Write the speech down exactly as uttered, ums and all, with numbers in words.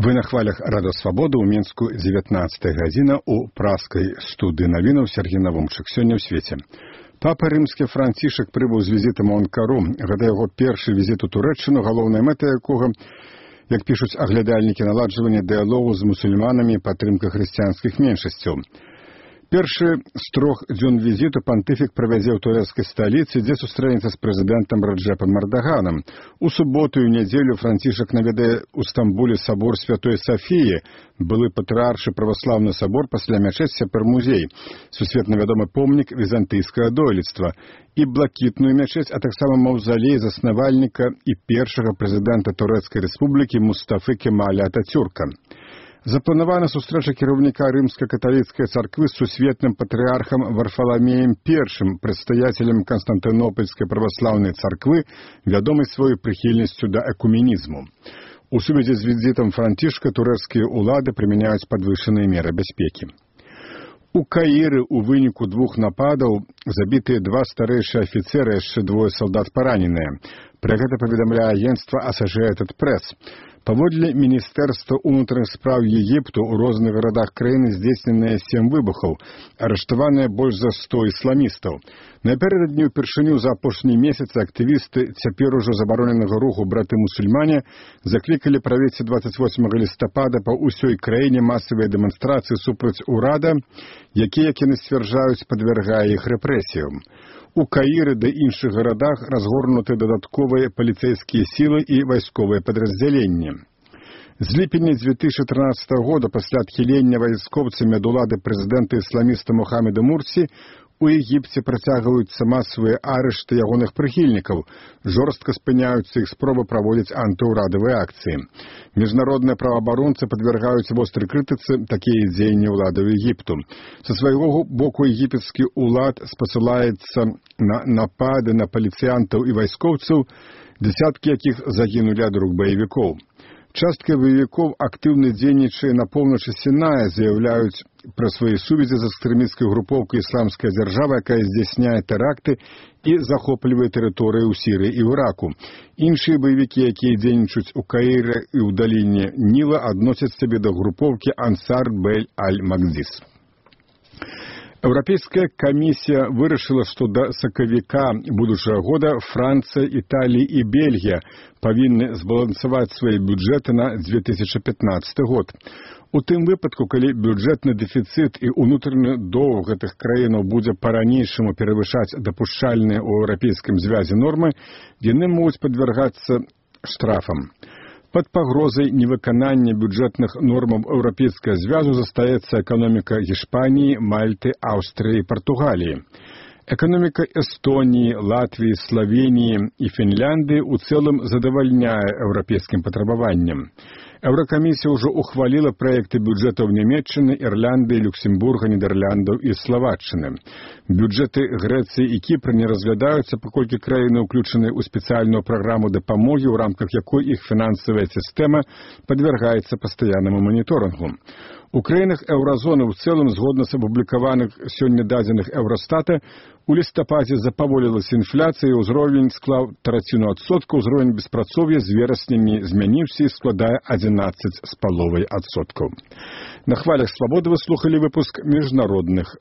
Вы на хвалях Рада Свабоды ў Мінску дзевятнаццатая гадзіна ў праскай студыі навінаў Сергей Навумчык. Сёння ў свеце. Папа рымскі Францішак прыбыў з візітам у Анкару. Гэта яго першы візіт у Турэччыну, галоўная мэта якога, як пішуць аглядальнікі, наладжванне дыялогу з мусульманамі і падтрымка хрысціянскіх меншасцяў. Першы з трох дзён візіту пантыфік правядзе ў турэцкай сталіцы, дзе сустрэнецца з прэзідэнтам Раджэпам Эрдаганам. У суботу і нядзелю Францішак наведае ў Стамбуле сабор Святой Сафіі, былы патрыаршы праваслаўны сабор, пасля мячэць цяпер музей, сусветна вядомы помнік візантыйскага дойлідства, і блакітную мячэць, а таксама маўзалей заснавальніка і першага прэзідэнта Турэцкай рэспублікі Мустафы Кемаля Атацюрка. Запланавана сустрэча кіраўніка рымска-каталіцкай царквы з сусветным патрыархам Варфаламеем першым, прадстаяцелем Канстантынопольскай праваслаўнай царквы, вядомай сваёй прыхільнасцю да экуменізму. У сувязі з візітам Францішка турэцкія ўлады прымяняюць падвышаныя меры бяспекі. У Каіры ў выніку двух нападаў забітыя два старэйшыя афіцэры, яшчэ двое салдат параненыя. Пра гэта паведамляе агенцтва Associated Press. Паводле Міністэрства ўнутраных спраў Егіпту ў розных гарадах краіны здзейсненыя сем выбухаў, арыштаваныя больш за сто ісламістаў. Напярэдадні ўпершыню за апошні месяц актывісты цяпер ужо забароненага руху браты-мусульмане заклікалі правесці дваццаць восьмага лістапада па ўсёй краіне масавыя дэманстрацыі супраць урада, які, як яны сцвярджаюць, падвяргае іх рэпрэсіям. У Каіры ды іншых гарадах разгорнуты дадатковыя паліцэйскія сілы і вайсковыя падраздзяленні. З ліпеня дзве тысячы трынаццатага года пасля адхілення вайскоўцамі ад улады прэзідэнта ісламіста Мухаммеда Мурсі у Егіпце працягваюцца масавыя арышты ягоных прыхільнікаў, жорстка спыняюцца іх спробы праводзіць антыўрадавыя акцыі. Міжнародныя праваабаронцы падвяргаюць вострай крытыцы такія дзеянні ўладаў Егіпту. Са свайго боку егіпецкі ўлад спасылаецца на напады на паліцыянтаў і вайскоўцаў, дзясяткі якіх загінулі ад рук баевікоў. Частка баевікоў актыўна дзейнічае на поўначы Сіная, заяўляюць пра свае сувязі з экстрэмісцкай групоўкай «Ісламская дзяржава», якая здзяйсняе тэракты і захоплівае тэрыторыі ў Сірыі і ў Іраку. Іншыя баевікі, якія дзейнічаюць у Каіры і ў даліне Ніла, адносяць сябе да групоўкі «Ансар Бель Аль-Магдзіс». Еўрапейская камісія вырашыла, што да сакавіка будучага года Францыя, Італія і Бельгія павінны збалансаваць свае бюджэты на дзве тысячы пятнаццаты год. У тым выпадку, калі бюджэтны дэфіцыт і ўнутраны доўг гэтых краінаў будзе па-ранейшаму перавышаць дапушчальныя ў еўрапейскім звязе нормы, яны могуць падвяргацца штрафам. Пад пагрозай невыканання бюджэтных нормаў еўрапейскага звязу застаецца эканоміка Гішпаніі, Мальты, Аўстрыі і Партугаліі. Эканоміка Эстоніі, Латвіі, Славеніі і Фінляндыі ў цэлым задавальняе еўрапейскім патрабаванням. Еўракамісія ўжо ухваліла праекты бюджэтаў Нямецчыны, Ірландыі, Люксембурга, Нідэрляндаў і Славаччыны. Бюджэты Грэцыі і Кіпра не разглядаюцца, паколькі краіны ўключаны ў спецыяльную праграму дапамогі, у рамках якой іх фінансавая сістэма падвяргаецца пастаяннаму маніторынгу. У краінах еўразоны ў цэлым, згодна з апублікаваных сёння дадзеных Еўрастата, у лістападзе запаволілася інфляцыя, ўзровень склаў траціну адсотка, ўзровень беспрацоўя з верасня не змяніўся і складае адзінаццаць з паловай адсоткаў. На хвалях Свабоды вы слухалі выпуск міжнародных